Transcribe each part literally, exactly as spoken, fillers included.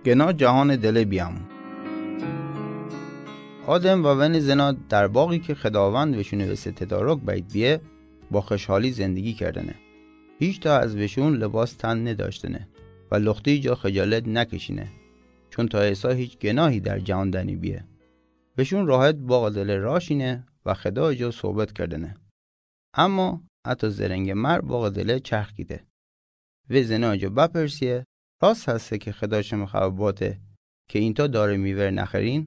گناه جهان دله بیام. آدم و ون زنا در باغی که خداوند وشون وسه تدارک بید بیه، با خوشحالی زندگی کردنه. هیچ تا از وشون لباس تن نداشتنه و لختی جا خجالت نکشینه، چون تا ایسا هیچ گناهی در جهان دنی بیه. وشون راحت باغ دله راشینه و خدا جا صحبت کردنه. اما حتی زرنگ مر باغ دله چرخ گیده. وی زنا جا بپرسیه: راست هسته که خدا شم خبر باته که اینتا دار میوه ره نخرین؟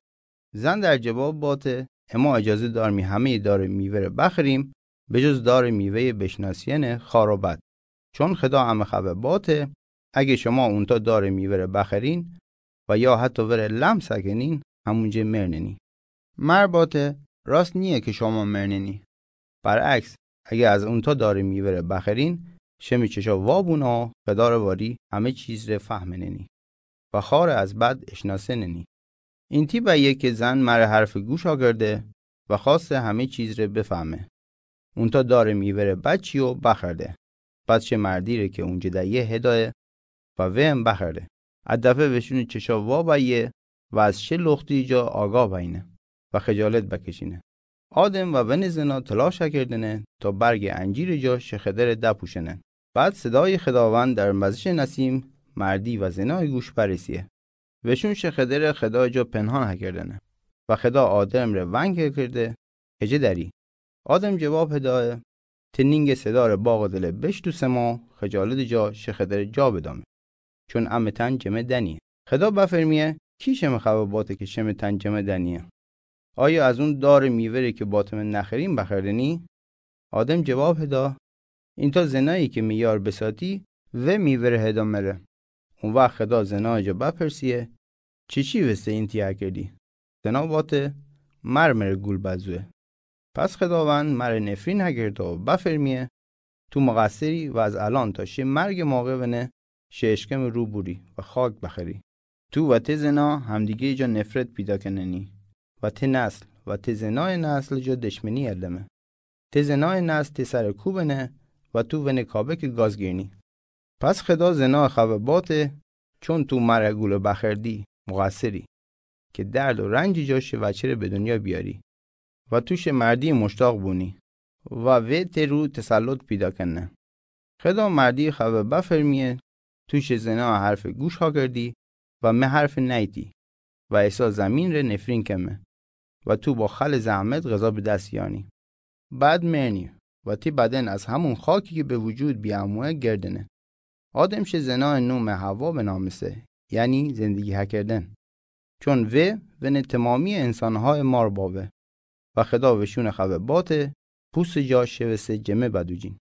زن در جواب باته: اما اجازه دارمی همهٔ دار میوه ره بخریم، به جز دار میوهٔ بشناسیئن خار و بد. چون خدا امه خبر باته، اگه شما اونتا دار میوه ره بخرین و یا حتی وره لمس کنین، همونجه مرننی. مر باته: راست نیه که شما مرننی. برعکس، اگه از اونتا دار میوه ره بخرین، شم چشا وا بونه و خدا ره واری همه چیز ره فهمننی و خار از بد اشناسننی. اینتی بایه که زن مر حرف گوش آگرده و خواسته همه چیز ره بفهمه. اونتا دار میوه ره بچی و بخرده. بعد شه مردی ره که اونجه دایه هدایه و ویم بخرده. ا دفعه وشون چشا وا بایه و از شه لختی جا آگاه بینه و خجالت بکشینه. آدم و ون زنا تلاش کردنه تا برگ انجیر جا شه خدر دپوشنه. بعد صدای خداوند در وزش نسیم مردی و زنای گوش برسیه. وشون شه خدر خدا جا پنهان کردنه و خدا آدم ره ونگ کرده: کجه دری؟ آدم جواب هدایه: ته نینگ صدا ره باغ دله بشتوسم و خجالت جا شه خدر جا بدامه، چون امه تن جمه دنیه. خدا بفرمیه: کی شم خبر باته که شم تن جمه دنیه؟ آیا از اون دار میوه ره که باته مه نخرین بخردنی؟ آدم جواب هدا: اینتا زنایی که می یار بساتی، و میوه ره هدا مره. اون وقت خدا زنا جا بپرسیه: چی چی وسته اینتی هکردی؟ زنا باته: مر مره گول بزوه. پس خداوند مره نفرین هکرده و بفرمیه: تو مقصری و از الان تا شه مرگ موقع ونه شه اشکم رو بوری و خاک بخری. تو و ته زنا همدیگه جا نفرت پیدا کننی و ته نسل و ته زنای نسل جا دشمنی المه. ته زنای نسل ته سر کوبنه و تو ونه کابک گاز گیرنی. پس خدا زنا خبر باته: چون تو مره گول بخردی، مقصری که درد و رنج جا شه وچه ره به دنیا بیاری و تو شه مردی مشتاق بونی و وی ته رو تسلط پیدا کنه. خدا مردی خبر بفرمیه: تو شه زنا حرف گوش هاکردی و مه حرف نیتی و ایسا زمین ره نفرین کمه و تو با خل زحمت غذا به دست یانی. بعد مرنی و تی بدن از همون خاکی که به وجود بیاموه گردنه. آدم شه زنا نوم حوا بنامسه، یعنی زندگی هکردن. چون وی ونه تمامی انسانهای مار باوه و خدا وشون خبر باته پوست جا شوسته جمه بدوجین.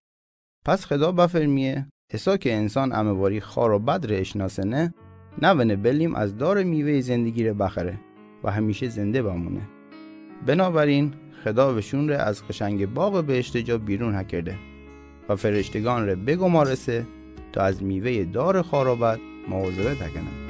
پس خدا بفرمیه: ایسا که انسان امه واری خار و بد ره اشناسنه، نونه بلیم از دار میوه زندگی ره بخره و همیشه زنده بمونه. بنابراین خدا وشون ره از قشنگ باغ بهشت جا بیرون هکرده و فرشتگان ره بگمارسه تا از میوه دار خار و بد مواظبت هکنن.